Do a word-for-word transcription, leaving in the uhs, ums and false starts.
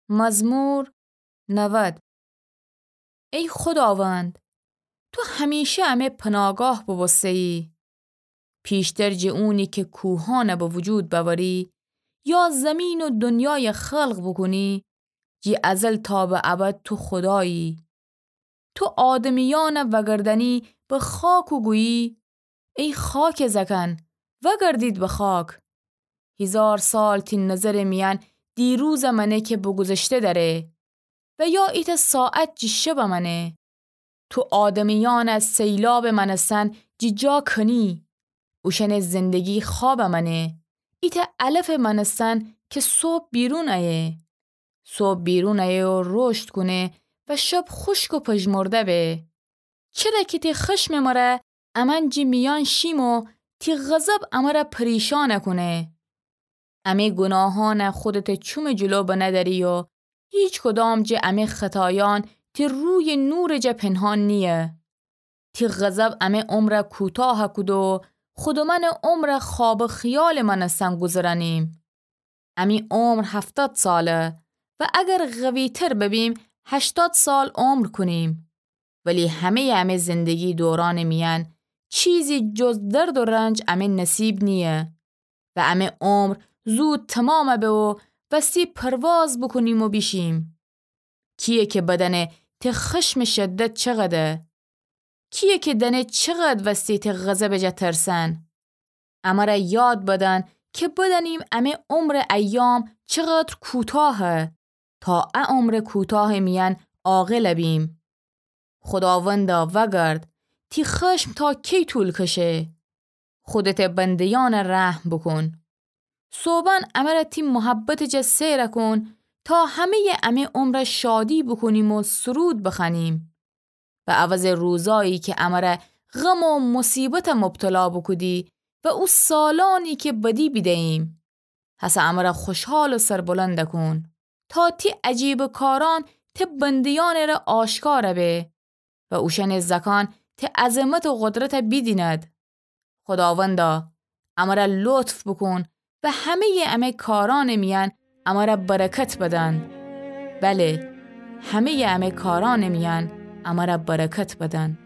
مزمور نود. ای خوداوند، تو همیشه امه پناگاه بوبوسته‌یی. پیشتر جه اونی که کوهانه به وجود بأوری، یا زمین و دنیای خلق بوکونی، جه ازل تا به ابد تو خودایی. تو آدمیأنه وأگردأنی به خاک و گویی، ای خاکٚ زأکأن، وأگردید به خاک. هیزار سال تی نظرٚ میأن دیروزٚ مأنه که به گذشته دأره و یا ایتأ ساعت جٚه شبٚ مأنه. تو آدمیأنه سیلابٚ مأنستن جٚه جا کنی، اوشأنٚ زندگی خوابٚ مأنه، ایتأ علفٚ مأنستن که صبح بیرون ایه. صبح بیرون ایه و رشد کونه و شب خوشک و پژمرده به. چره که تی خشمٚ مره امأن جٚه میأن شیم و تی غضب امره پریشان کونه. امه گوناهأنه خودته چومٚ جلو بندأری و هیچکدام جٚه امه خطایأن تی رویٚ نورٚ جا پنهان نییه. تی غضب امه عمره کوتاه کوده و خودمأنٚ عمره خواب خیالٚ مأنستن گوذرأنیم. امی عمر هفتاد ساله و اگر قوی‌تر ببیم، هشتاد سال عمر کونیم. ولی همه‌یٚ امه زندگی دورانٚ میأن چیزی جز درد و رنج امه نصیب نییه و امه عمر زود تمام به و وستی پرواز بوکونیم و بیشیم. کییه که بدأنه ته خشمٚ شدت چقدره؟ کییه که دأنه چقدر وستی ته غضبٚ جا ترسن؟ امره یاد بدن که بدأنیم امه عمرٚ ایام چقدر کوتاهه، تا ا عمرٚ کوتاهٚ میأن عاقل بیم. خوداوندا، وأگرد، تی خشم تا کی طول کشه؟ خودته بنده‌یأنه رحم بوکون. صوبأن امره تی محبتٚ جا سئر کون، تا همه‌یٚ امه عمره شادی بوکونیم و سرود بخوأنیم. به عوضٚ روزایی که امره غم و مصیبته مبتلا بوکودی و او سالأنی که بدی بیده‌ییم، هسه امره خوشحال و سربلند کون، تا تی عجیبٚ کارأن ته بنده‌یأنٚ ره آشکار به و اوشأنٚ زأکأن ته عظمت و قدرته بیدیند. خوداوندا، امره لطف بوکون و همه‌یٚ امه کارأنٚ میأن امره برکت بدن. بله، همه‌یٚ امه کارأنٚ میأن امره برکت بدن.